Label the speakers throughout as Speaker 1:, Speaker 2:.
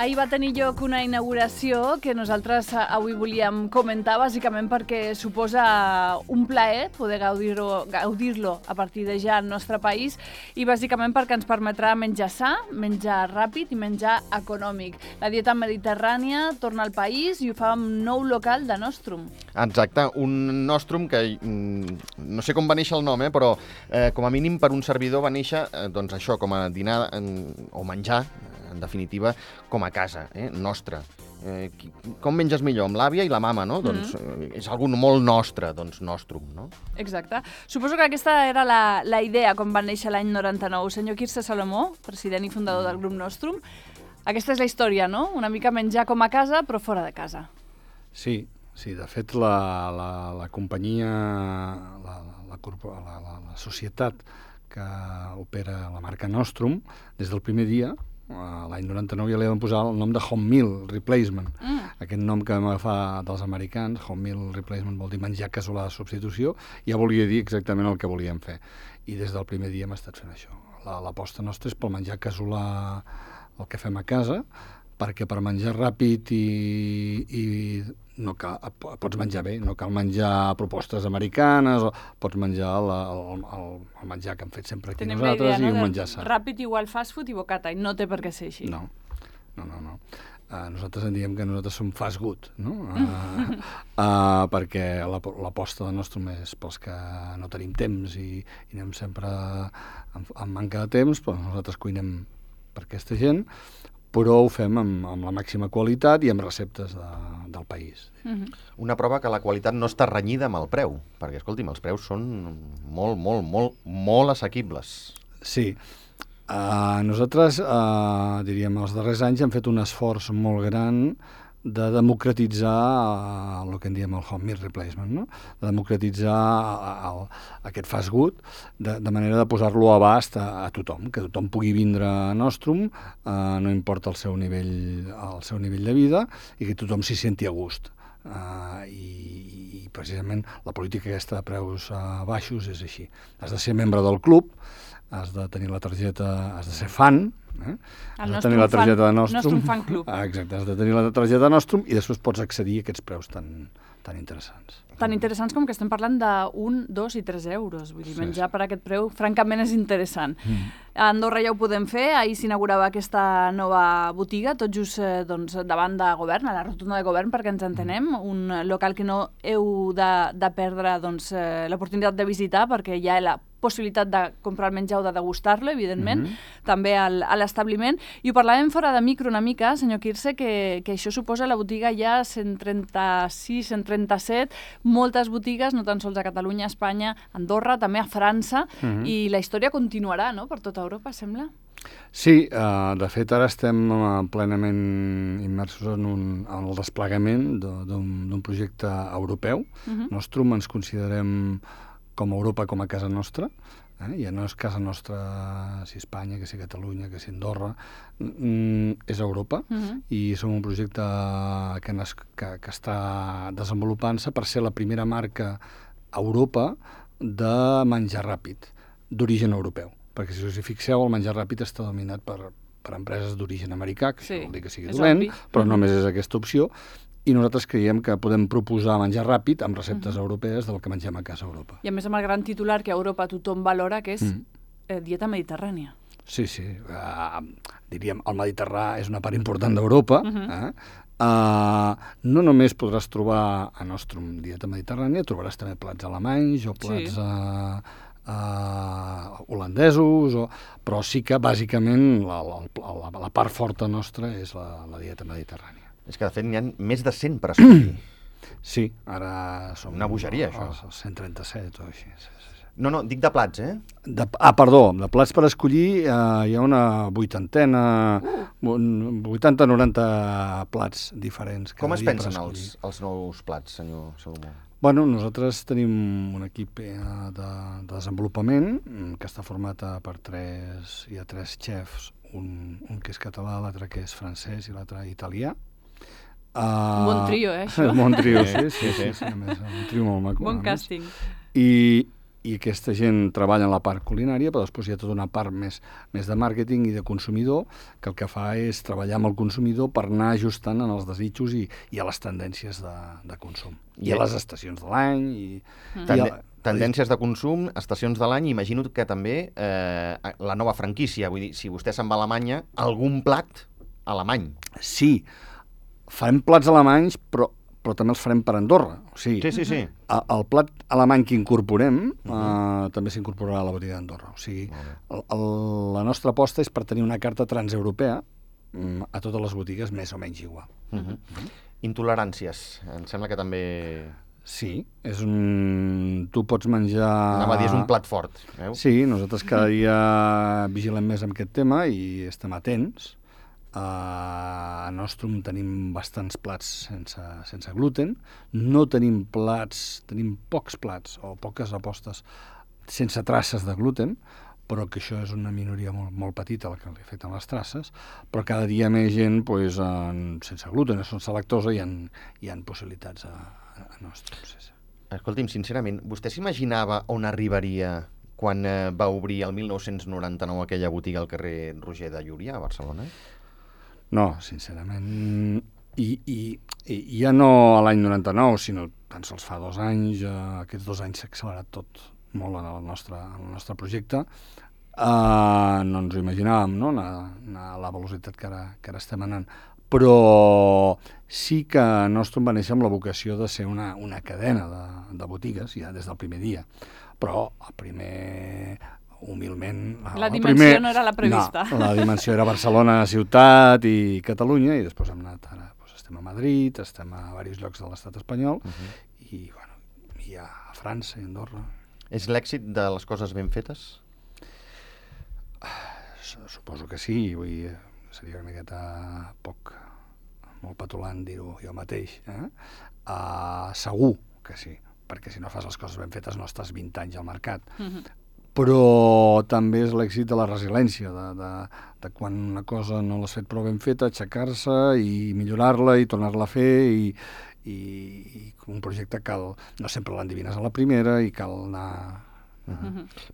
Speaker 1: Ahir va tenir lloc una inauguració que nosaltres avui volíem comentar, bàsicament perquè suposa un plaer poder gaudir-lo a partir de ja al nostre país i bàsicament perquè ens permetrà menjar sa, menjar ràpid i menjar econòmic. La dieta mediterrània torna al país i ho fa amb nou local de Nostrum.
Speaker 2: Exacte, un Nostrum que no sé com va néixer el nom, però com a mínim per un servidor va néixer doncs això, com a dinar o menjar, en definitiva, com a casa, nostra. Com menges millor? Amb l'àvia i la mama, no? Doncs és algú molt nostre, doncs Nostrum, no?
Speaker 1: Exacte. Suposo que aquesta era la idea quan va néixer l'any 99. Senyor Quirze Salomó, president i fundador del grup Nostrum, aquesta és la història, no? Una mica menjar com a casa, però fora de casa.
Speaker 3: Sí, de fet la companyia, la societat que opera la marca Nostrum, des del primer dia, l'any 99 ja li vam posar el nom de Home Meal Replacement. Aquest nom que vam agafar dels americans, Home Meal Replacement vol dir menjar casolà de substitució, ja volia dir exactament el que volíem fer. I des del primer dia hem estat fent això. L'aposta nostra és pel menjar casolà, el que fem a casa, perquè per menjar ràpid i no cal, pots menjar bé, no cal menjar propostes americanes, pots menjar el menjar que hem fet sempre aquí nosaltres i un menjar sa.
Speaker 1: Ràpid igual fast food i bocata, i no té per què ser així.
Speaker 3: No. Nosaltres en diem que nosaltres som fast good, no? Perquè l'aposta de Nostrum és pels que no tenim temps i anem sempre amb manca de temps, però nosaltres cuinem per aquesta gent, però ho fem amb la màxima qualitat i amb receptes del país.
Speaker 2: Una prova que la qualitat no està renyida amb el preu, perquè, escolti'm, els preus són molt assequibles.
Speaker 3: Sí. Nosaltres, diríem, els darrers anys hem fet un esforç molt gran de democratitzar el que en diem el home meal replacement, no? De democratitzar aquest fast food de manera de posar-lo a abast a tothom, que tothom pugui vindre a Nostrum, no importa el seu nivell de vida, i que tothom s'hi senti a gust. I precisament la política aquesta de preus baixos és així. Has de ser membre del club, has de tenir la targeta, has de ser fan, has de tenir la targeta de Nostrum.
Speaker 1: Nostrum Fan Club.
Speaker 3: Exacte, has de tenir la targeta de Nostrum i després pots accedir a aquests preus tan interessants.
Speaker 1: Tan interessants com que estem parlant de 1, 2 i 3 euros. Vull dir, menjar per aquest preu, francament, és interessant. A Andorra ja ho podem fer. Ahir s'inaugurava aquesta nova botiga, tot just davant de Govern, a la rotunda de Govern, perquè ens entenem. Un local que no heu de perdre l'oportunitat de visitar, perquè hi ha la possibilitat de comprar el menjar o de degustar-lo, evidentment, també a l'establiment. I ho parlàvem fora de micro una mica, senyor Quirze, que això suposa la botiga ja 136, 137, moltes botigues, no tan sols a Catalunya, a Espanya, a Andorra, també a França, i la història continuarà, no?, per tota Europa, sembla?
Speaker 3: Sí, de fet ara estem plenament immersos en el desplegament d'un projecte europeu. Nostrum ens considerem com a Europa, com a casa nostra. Ja no és casa nostra si Espanya, que si Catalunya, que si Andorra, és Europa, i som un projecte que està desenvolupant-se per ser la primera marca a Europa de menjar ràpid, d'origen europeu. Perquè si us hi fixeu, el menjar ràpid està dominat per empreses d'origen americà, que això vol dir que sigui dolent, però només és aquesta opció, i nosaltres creiem que podem proposar menjar ràpid amb receptes europees del que mengem a casa a Europa.
Speaker 1: I a més amb el gran titular que a Europa tothom valora, que és dieta mediterrània.
Speaker 3: Sí. Diríem, el Mediterrani és una part important d'Europa. No només podràs trobar a Nostrum dieta mediterrània, trobaràs també plats alemanys o plats holandesos, però sí que bàsicament la part forta nostra és la dieta mediterrània.
Speaker 2: És que, de fet, n'hi ha més de 100 per escollir.
Speaker 3: Sí, ara som...
Speaker 2: Una bogeria, això.
Speaker 3: 137 o així.
Speaker 2: No, dic de plats,
Speaker 3: Perdó, de plats per escollir hi ha una 80-90 plats diferents.
Speaker 2: Com es pensen els nous plats, senyor Salomó?
Speaker 3: Bueno, nosaltres tenim un equip de desenvolupament que està format per tres xefs, un que és català, l'altre que és francès i l'altre italià.
Speaker 1: Un bon trio, això?
Speaker 3: Un bon trio, sí. A més, un trio molt maco.
Speaker 1: Bon càsting.
Speaker 3: I i aquesta gent treballa en la part culinària, però després hi ha tota una part més de màrqueting i de consumidor, que el que fa és treballar amb el consumidor per anar ajustant en els desitjos i a les tendències de consum. I a les estacions de l'any.
Speaker 2: Tendències de consum, estacions de l'any, imagino que també la nova franquícia. Vull dir, si vostè se'n va a Alemanya, algun plat alemany.
Speaker 3: Sí, farem plats alemanys, però també els farem per Andorra. O sigui,
Speaker 2: Sí.
Speaker 3: El plat alemany que incorporem també s'incorporarà a la botiga d'Andorra. O sigui, la nostra aposta és per tenir una carta transeuropea a totes les botigues més o menys igual.
Speaker 2: Intoleràncies, em sembla que també...
Speaker 3: Sí, tu pots menjar...
Speaker 2: Anava a dir, és un plat fort.
Speaker 3: Sí, nosaltres cada dia vigilem més amb aquest tema i estem atents. A Nostrum tenim bastants plats sense gluten, no tenim plats, tenim pocs plats o poques apostes sense traces de gluten, però que això és una minoria molt petita la que li afecten les traces, però cada dia més gent sense gluten, sense lactosa, hi ha possibilitats a Nostrum. Sí.
Speaker 2: Escolti'm, sincerament, vostè s'imaginava on arribaria quan va obrir el 1999 aquella botiga al carrer Roger de Llúria, a Barcelona?
Speaker 3: No, sincerament, i ja no a l'any 99, sinó tan sols fa 2 anys, aquests 2 anys s'ha accelerat tot molt en el nostre projecte. No ens ho imaginàvem, no?, a la velocitat que ara estem anant. Però sí que Nostrum va néixer amb la vocació de ser una cadena de botigues, ja des del primer dia. Però el primer... humilment...
Speaker 1: La dimensió no era la prevista.
Speaker 3: No, la dimensió era Barcelona, ciutat i Catalunya, i després hem anat ara, estem a Madrid, estem a diversos llocs de l'estat espanyol, i a França i Andorra.
Speaker 2: És l'èxit de les coses ben fetes?
Speaker 3: Suposo que sí, seria una miqueta molt petulant dir-ho jo mateix. Segur que sí, perquè si no fas les coses ben fetes no estàs 20 anys al mercat. Però també és l'èxit de la resiliència, de quan una cosa no l'has fet prou ben feta, aixecar-se i millorar-la i tornar-la a fer, i un projecte no sempre l'endevines a la primera i cal anar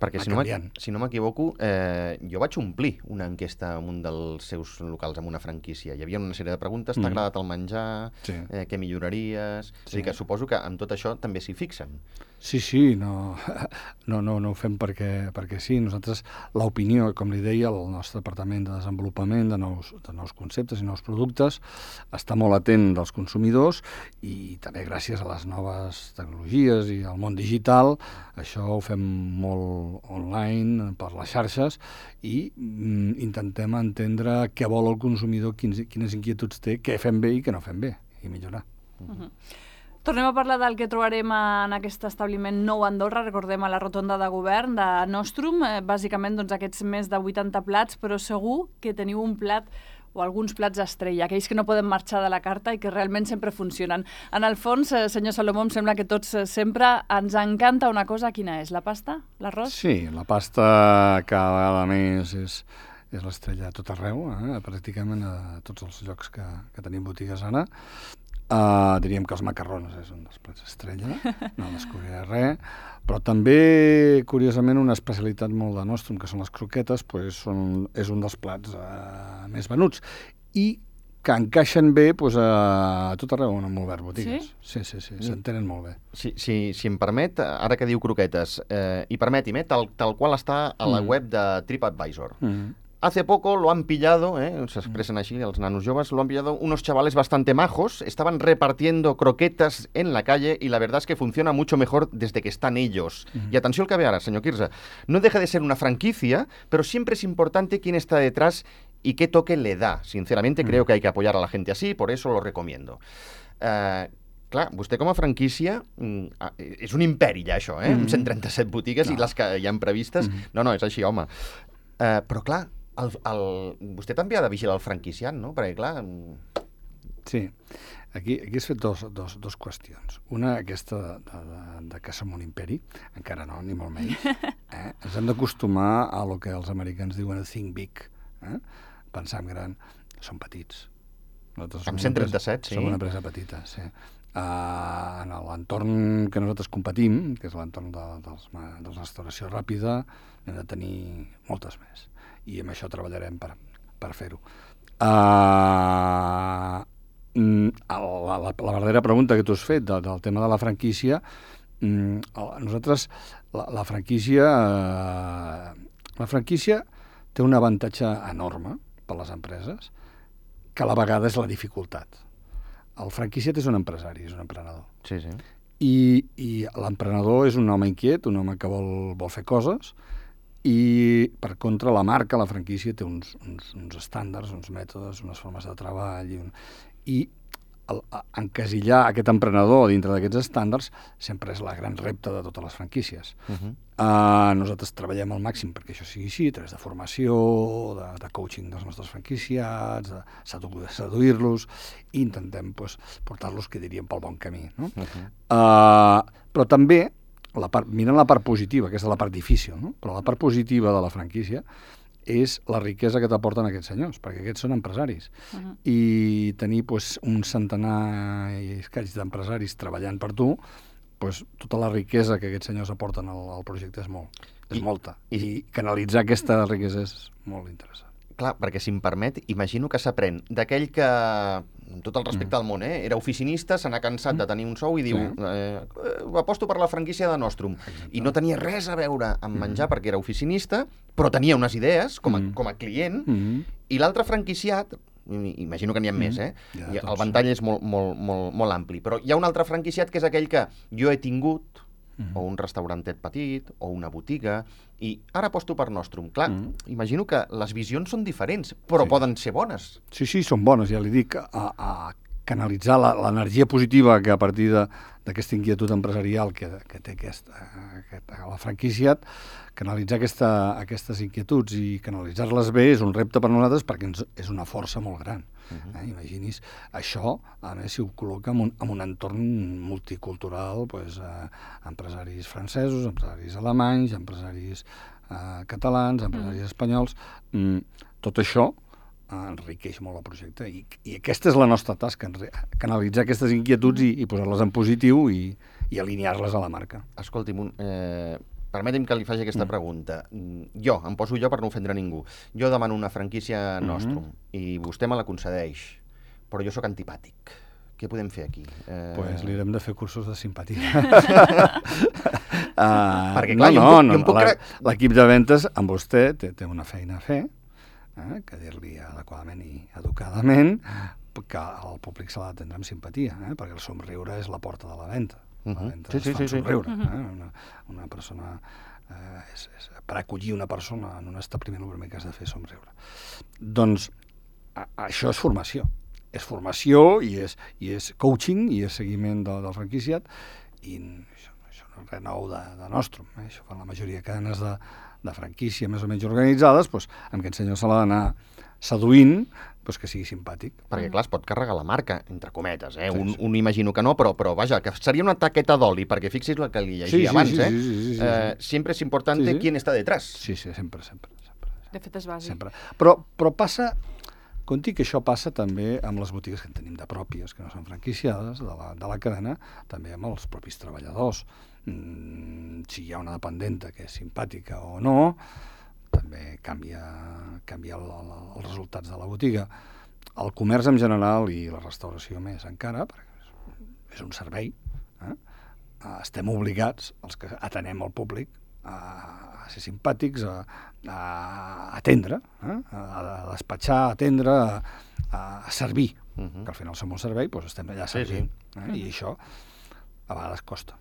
Speaker 2: perquè si no m'equivoco, jo vaig omplir una enquesta en un dels seus locals amb una franquícia. Hi havia una sèrie de preguntes: t'ha agradat el menjar? Sí. Què milloraries? Sí. És a dir, que suposo que amb tot això també s'hi fixen.
Speaker 3: Sí, no ho fem perquè sí. Nosaltres, l'opinió, com li deia, el nostre departament de desenvolupament de nous conceptes i nous productes està molt atent dels consumidors, i també gràcies a les noves tecnologies i al món digital, això ho fem molt online, per les xarxes, i intentem entendre què vol el consumidor, quines inquietuds té, què fem bé i què no fem bé, i millorar.
Speaker 1: Tornem a parlar del que trobarem en aquest establiment nou a Andorra, recordem, a la rotonda de govern de Nostrum, bàsicament aquests més de 80 plats, però segur que teniu un plat o alguns plats estrella, aquells que no poden marxar de la carta i que realment sempre funcionen. En el fons, senyor Salomó, em sembla que tots sempre ens encanta una cosa. Quina és? La pasta? L'arròs?
Speaker 3: Sí, la pasta cada vegada més és l'estrella a tot arreu, pràcticament a tots els llocs que tenim botigues ara. Diríem que els macarrons és un dels plats estrella, no descobriré res, però també, curiosament, una especialitat molt de Nostrum, que són les croquetes, és un dels plats més venuts, i que encaixen bé a tot arreu on hem obert botigues. Sí, s'entenen molt bé.
Speaker 2: Si em permet, ara que diu croquetes, i permeti'm, tal qual està a la web de TripAdvisor. Hace poco lo han pillado, se expresan así los nanos jóvenes, lo han pillado unos chavales bastante majos, estaban repartiendo croquetas en la calle y la verdad es que funciona mucho mejor desde que están ellos. Y atención al que ve ahora, señor Quirze, no deja de ser una franquicia, pero siempre es importante quién está detrás y qué toque le da. Sinceramente creo que hay que apoyar a la gente así, por eso lo recomiendo. Clar, vostè com a franquícia és un imperi ja això, amb 137 botigues i les que hi han previstes. No, és així, home. Però clar, vostè també ha de vigilar el franquiciant, no? Perquè, clar...
Speaker 3: Sí, aquí has fet dos qüestions. Una, aquesta de que som un imperi, encara no, ni molt menys. Ens hem d'acostumar a lo que els americans diuen think big, pensar en gran. Som petits.
Speaker 2: Amb 137, sí.
Speaker 3: Som una empresa petita, sí. En l'entorn que nosaltres competim, que és l'entorn de la restauració ràpida, hem de tenir moltes més. I amb això treballarem per fer-ho. La verdadera pregunta que tu has fet del tema de la franquícia, nosaltres, la franquícia té un avantatge enorme per a les empreses, que a la vegada és la dificultat. El franquiciat és un empresari, és un emprenedor.
Speaker 2: Sí, sí.
Speaker 3: I l'emprenedor és un home inquiet, un home que vol fer coses, i per contra la marca, la franquícia, té uns estàndards, uns mètodes, unes formes de treball, i encasillar aquest emprenedor dintre d'aquests estàndards sempre és la gran repte de totes les franquícies. Nosaltres treballem al màxim perquè això sigui així, a través de formació, de coaching dels nostres franquiciats, de seduir-los, i intentem portar-los, que diríem, pel bon camí. No? Però també, mirant la part positiva, aquesta és la part difícil, no? Però la part positiva de la franquícia és la riquesa que t'aporten aquests senyors, perquè aquests són empresaris. I tenir un centenar i escaig d'empresaris treballant per tu, tota la riquesa que aquests senyors aporten al projecte és molta. I canalitzar aquesta riquesa és molt interessant.
Speaker 2: Clar, perquè si em permet, imagino que s'aprèn d'aquell que, amb tot el respecte al món, era oficinista, se n'ha cansat de tenir un sou i diu aposto per la franquícia de Nostrum. I no tenia res a veure amb menjar perquè era oficinista, però tenia unes idees com a client, i l'altre franquiciat, imagino que n'hi ha més, el ventall és molt ampli, però hi ha un altre franquiciat que és aquell que jo he tingut, o un restaurantet petit, o una botiga, i ara aposto per Nostrum. Clar, imagino que les visions són diferents, però poden ser bones.
Speaker 3: Sí, són bones, ja li dic, a canalitzar l'energia positiva que a partir d'aquesta inquietud empresarial que té la franquiciat, canalitzar aquestes inquietuds i canalitzar-les bé és un repte per nosaltres perquè és una força molt gran. Imaginis això, a més, si ho col·loca en un entorn multicultural, empresaris francesos, empresaris alemanys, empresaris catalans, empresaris espanyols, tot això enriqueix molt el projecte i aquesta és la nostra tasca, canalitzar aquestes inquietuds i posar-les en positiu i alinear-les a la marca.
Speaker 2: Escolti'm, permeti'm que li faci aquesta pregunta. Em poso jo per no ofendre ningú. Jo demano una franquícia Nostrum i vostè me la concedeix, però jo sóc antipàtic. Què podem fer aquí?
Speaker 3: Li haurem de fer cursos de simpatia.
Speaker 2: Perquè, clar,
Speaker 3: l'equip de ventes amb vostè té una feina a fer, que dir-li adequadament i educadament, que el públic s'ha d'atendre amb simpatia, perquè el somriure és la porta de la venda. La venda es fa somriure. Una persona, per acollir una persona en un establiment, el primer que has de fer és somriure. Doncs això és formació. És formació i és coaching i és seguiment del franquiciat, i això no és res nou de Nostrum. Això fan la majoria de cadenes de franquícia més o menys organitzades, amb aquest senyor se l'ha d'anar seduint, que sigui simpàtic.
Speaker 2: Perquè, clar, es pot carregar la marca, entre cometes, un imagino que no, però vaja, que seria una taqueta d'oli, perquè fixis la que li llegia abans, Sempre és importante quién está detrás.
Speaker 3: Sí, sempre.
Speaker 1: De fet, és bàsic.
Speaker 3: Sempre. Però passa, conti que això passa també amb les botigues que en tenim de pròpies, que no són franquiciades, de la cadena, també amb els propis treballadors. Si hi ha una dependenta que és simpàtica o no, també canvia els resultats de la botiga. El comerç en general i la restauració més encara, perquè és un servei, estem obligats, els que atenem el públic, a ser simpàtics, a atendre, a despatxar, a atendre, a servir, que al final som un servei, estem allà servint. I això a vegades costa.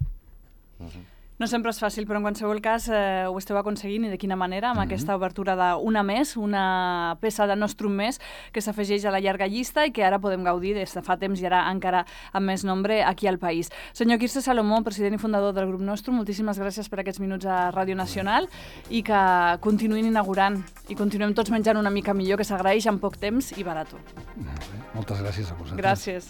Speaker 1: No sempre és fàcil, però en qualsevol cas ho esteu aconseguint, i de quina manera, amb aquesta obertura d'una més, una peça de Nostrum més, que s'afegeix a la llarga llista i que ara podem gaudir des de fa temps i ara encara amb més nombre aquí al país. Senyor Quirze Salomó, president i fundador del grup Nostrum, moltíssimes gràcies per aquests minuts a Ràdio Nacional i que continuïn inaugurant i continuem tots menjant una mica millor, que s'agraeix en poc temps i barat.
Speaker 3: Moltes gràcies a vosaltres.
Speaker 1: Gràcies.